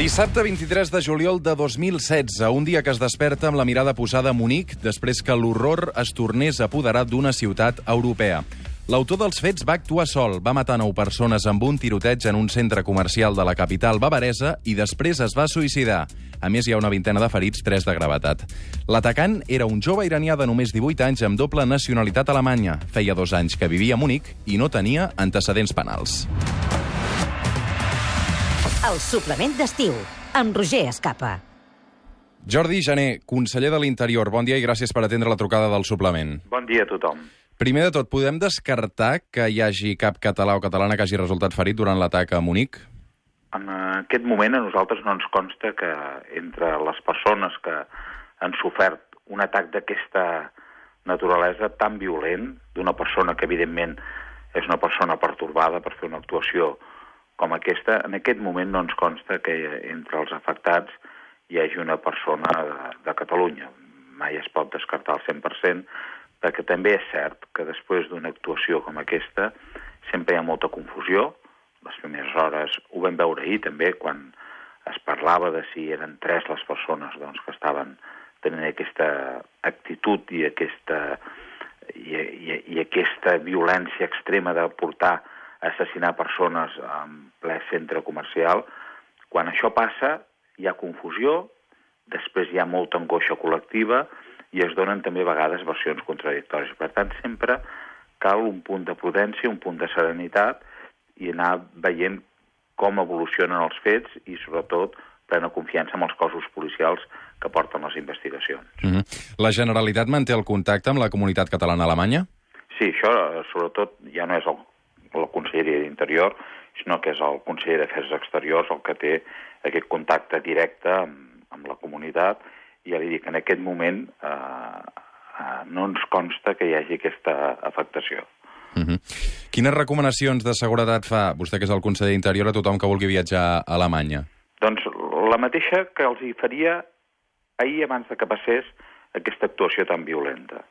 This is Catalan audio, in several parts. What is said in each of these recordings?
Dissabte 23 de juliol de 2016, un dia que es desperta amb la mirada posada a Munic després que l'horror es tornés a apoderar d'una ciutat europea. L'autor dels fets va actuar sol, va matar 9 persones amb un tiroteig en un centre comercial de la capital bavaresa i després es va suïcidar. A més, hi ha una vintena de ferits, 3 de gravetat. L'atacant era un jove iranià de només 18 anys amb doble nacionalitat alemanya. Feia 2 anys que vivia a Munic i no tenia antecedents penals. El suplement d'estiu, amb Roger Escapa. Jordi Jané, conseller de l'Interior, bon dia i gràcies per atendre la trucada del suplement. Bon dia a tothom. Primer de tot, podem descartar que hi hagi cap català o catalana que hagi resultat ferit durant l'atac a Munic? En aquest moment a nosaltres no ens consta que entre les persones que han sofert un atac d'aquesta naturalesa tan violent, d'una persona que evidentment és una persona pertorbada per fer una actuació com aquesta, en aquest moment no ens consta que entre els afectats hi hagi una persona de Catalunya. Mai es pot descartar al 100%, perquè també és cert que després d'una actuació com aquesta sempre hi ha molta confusió. Les primeres hores ho vam veure ahir també, quan es parlava de si eren 3 les persones que estaven tenint aquesta actitud i aquesta violència extrema de portar a assassinar persones en ple centre comercial. Quan això passa, hi ha confusió, després hi ha molta angoixa col·lectiva i es donen també a vegades versions contradictòries. Per tant, sempre cal un punt de prudència, un punt de serenitat i anar veient com evolucionen els fets i, sobretot, plena confiança amb els cossos policials que porten les investigacions. La Generalitat manté el contacte amb la comunitat catalana alemanya? Sí, això, sobretot, ja no és la Conselleria d'Interior, sinó que és el conseller d'Afers Exteriors el que té aquest contacte directe amb la comunitat, i ja li dic, en aquest moment no ens consta que hi hagi aquesta afectació. Quines recomanacions de seguretat fa vostè, que és el conseller d'Interior, a tothom que vulgui viatjar a Alemanya? Doncs la mateixa que els hi faria ahir abans de que passés aquesta actuació tan violenta,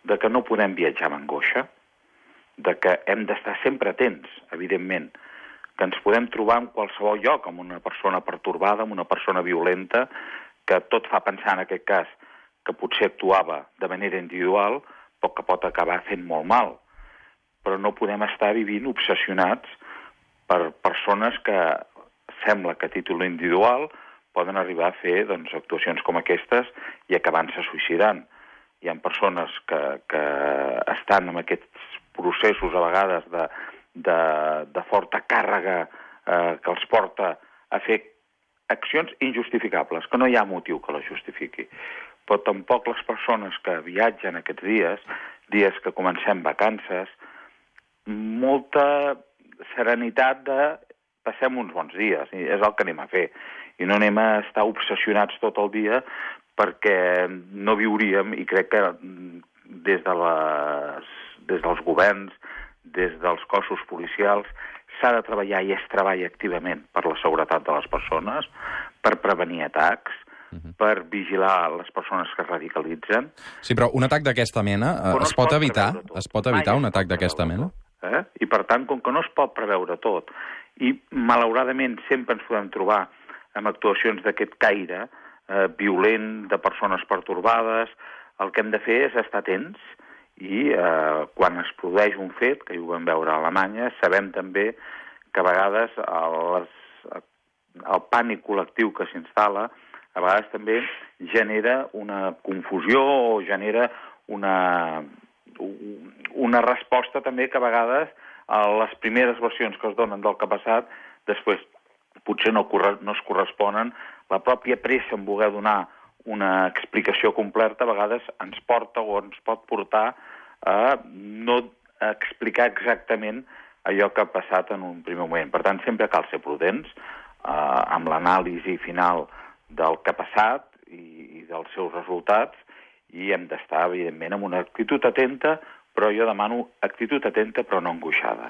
de que no podem viatjar amb angoixa, de que hem d'estar sempre atents, evidentment, que ens podem trobar en qualsevol lloc amb una persona pertorbada, amb una persona violenta, que tot fa pensar en aquest cas que potser actuava de manera individual, però que pot acabar fent molt mal. Però no podem estar vivint obsessionats per persones que sembla que a títol individual poden arribar a fer actuacions com aquestes i acabar-se suïcidant. Hi ha persones que estan en aquests processos a vegades de forta càrrega que els porta a fer accions injustificables, que no hi ha motiu que les justifiqui. Però tampoc les persones que viatgen aquests dies que comencem vacances, molta serenitat de passem uns bons dies, i és el que anem a fer. I no anem a estar obsessionats tot el dia perquè no viuríem, i crec que des dels governs, des dels cossos policials, s'ha de treballar i es treballa activament per la seguretat de les persones, per prevenir atacs, per vigilar les persones que es radicalitzen. Sí, però un atac d'aquesta mena es pot evitar? Es pot evitar un atac d'aquesta mena? I per tant, com que no es pot preveure tot, i malauradament sempre ens podem trobar amb actuacions d'aquest caire violent, de persones pertorbades, el que hem de fer és estar atents i quan es produeix un fet, que ho vam veure a Alemanya, sabem també que a vegades el pànic col·lectiu que s'instal·la a vegades també genera una confusió o genera una resposta també que a vegades a les primeres versions que es donen del que ha passat després potser no es corresponen. La pròpia pressa en voler donar una explicació completa a vegades ens porta o ens pot portar a no explicar exactament allò que ha passat en un primer moment. Per tant, sempre cal ser prudents amb l'anàlisi final del que ha passat i dels seus resultats, i hem d'estar, evidentment, amb una actitud atenta, però jo demano actitud atenta però no angoixada.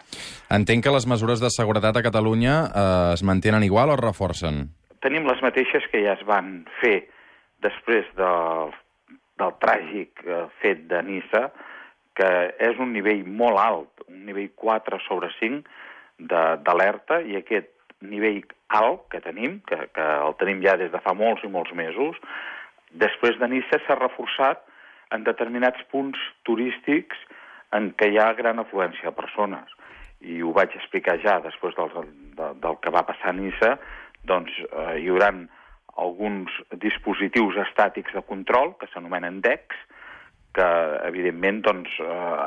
Entenc que les mesures de seguretat a Catalunya es mantenen igual o es reforcen? Tenim les mateixes que ja es van fer després del tràgic fet de Niça, que és un nivell molt alt, un nivell 4/5 d'alerta, i aquest nivell alt que tenim, que el tenim ja des de fa molts i molts mesos, després de Niça s'ha reforçat en determinats punts turístics en què hi ha gran afluència de persones. I ho vaig explicar ja després del que va passar a Niça, doncs hi haurà alguns dispositius estàtics de control, que s'anomenen DECs, que evidentment doncs,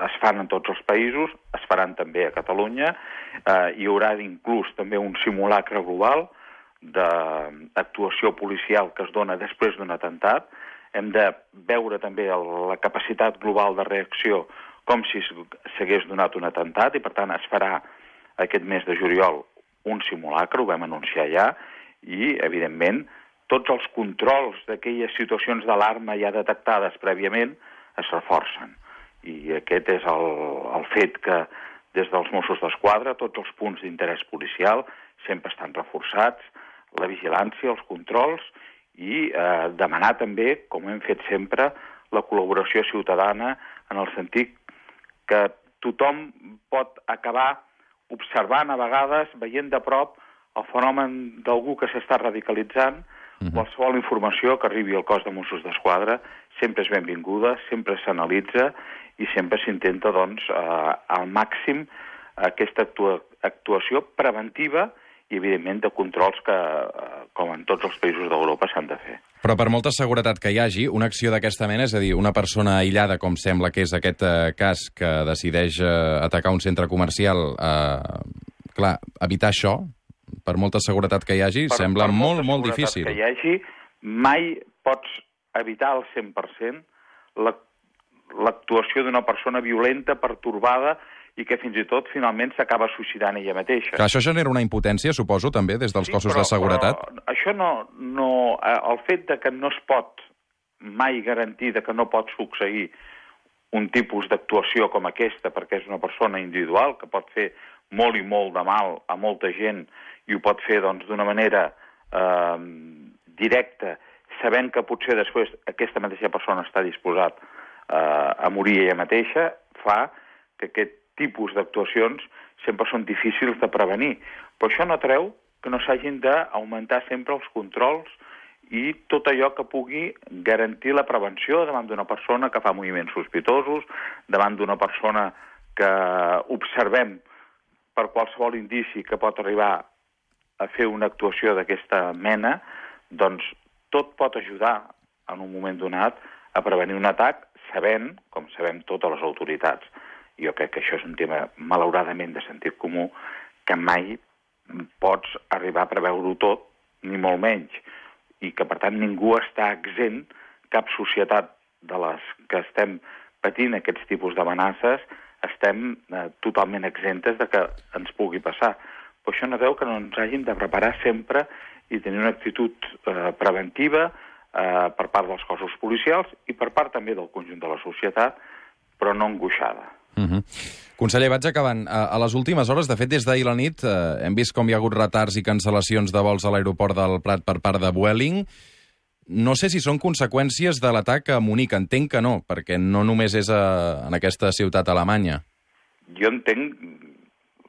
es fan en tots els països, es faran també a Catalunya. Hi haurà inclús també un simulacre global d'actuació policial que es dona després d'un atemptat. Hem de veure també la capacitat global de reacció com si s'hagués donat un atemptat i, per tant, es farà aquest mes de juliol un simulacre, ho vam anunciar ja, i, evidentment, tots els controls d'aquelles situacions d'alarma ja detectades prèviament es reforcen. I aquest és el fet que des dels Mossos d'Esquadra tots els punts d'interès policial sempre estan reforçats, la vigilància, els controls i demanar també, com hem fet sempre, la col·laboració ciutadana en el sentit que tothom pot acabar observant a vegades, veient de prop el fenomen d'algú que s'està radicalitzant. Qualsevol informació que arribi al cos de Mossos d'Esquadra sempre és benvinguda, sempre s'analitza i sempre s'intenta, doncs, al màxim aquesta actuació preventiva i, evidentment, de controls que, com en tots els països d'Europa, s'han de fer. Però per molta seguretat que hi hagi, una acció d'aquesta mena, és a dir, una persona aïllada, com sembla que és aquest cas, que decideix atacar un centre comercial, clar, evitar això, per molta seguretat que hi hagi, sembla molt, molt difícil. Per molta seguretat que hi hagi, mai pots evitar al 100% l'actuació d'una persona violenta, pertorbada, i que fins i tot finalment s'acaba suïcidant ella mateixa. Clar, això genera una impotència, suposo, també, des dels cossos de seguretat? Però això el fet de que no es pot mai garantir que no pot succeir un tipus d'actuació com aquesta, perquè és una persona individual que pot fer molt i molt de mal a molta gent i ho pot fer doncs d'una manera directa, sabent que potser després aquesta mateixa persona està disposat a morir ella mateixa, fa que aquest tipus d'actuacions sempre són difícils de prevenir. Però això no treu que no s'hagin d'augmentar sempre els controls i tot allò que pugui garantir la prevenció davant d'una persona que fa moviments sospitosos, davant d'una persona que observem per qualsevol indici que pot arribar a fer una actuació d'aquesta mena, doncs tot pot ajudar en un moment donat a prevenir un atac, sabent, com sabem totes les autoritats. Jo crec que això és un tema, malauradament, de sentit comú, que mai pots arribar a preveure-ho tot, ni molt menys, i que, per tant, ningú està exempt, cap societat de les que estem patint aquests tipus d'amenaces, estem totalment exemptes de que ens pugui passar. Però això no treu que no ens hàgim de preparar sempre i tenir una actitud preventiva per part dels cossos policials i per part també del conjunt de la societat, però no angoixada. Conseller, vaig acabant. A les últimes hores, de fet, des d'ahir a la nit, hem vist com hi ha hagut retards i cancel·lacions de vols a l'aeroport del Prat per part de Vueling. No sé si són conseqüències de l'atac a Munic. Entenc que no, perquè no només és en aquesta ciutat alemanya. Jo entenc,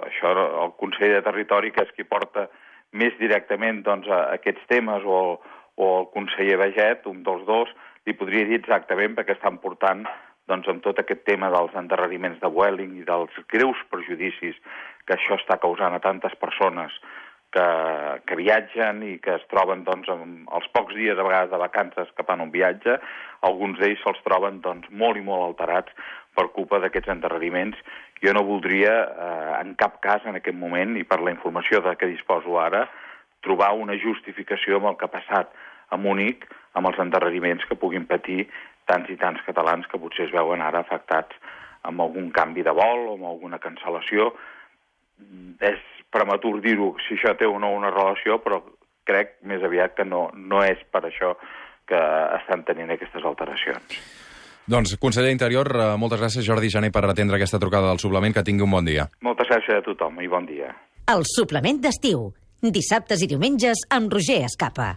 això el conseller de Territori, que és qui porta més directament doncs, aquests temes, o el conseller Baget, un dels dos, li podria dir exactament perquè estan portant doncs, amb tot aquest tema dels endarreriments de Vueling i dels greus perjudicis que això està causant a tantes persones que viatgen i que es troben doncs, els pocs dies a vegades de vacances que fan un viatge, alguns d'ells se'ls troben doncs, molt i molt alterats per culpa d'aquests endarreriments. Jo no voldria, en cap cas en aquest moment, i per la informació de què disposo ara, trobar una justificació amb el que ha passat a Munic amb els endarreriments que puguin patir tants i tants catalans que potser es veuen ara afectats amb algun canvi de vol o amb alguna cancel·lació. És prematur dir-ho si això té o no una relació, però crec més aviat que no és per això que estan tenint aquestes alteracions. Doncs, conseller d'Interior, moltes gràcies, Jordi Jané, per atendre aquesta trucada del suplement. Que tingui un bon dia. Moltes gràcies a tothom i bon dia. El suplement d'estiu. Dissabtes i diumenges amb Roger Escapa.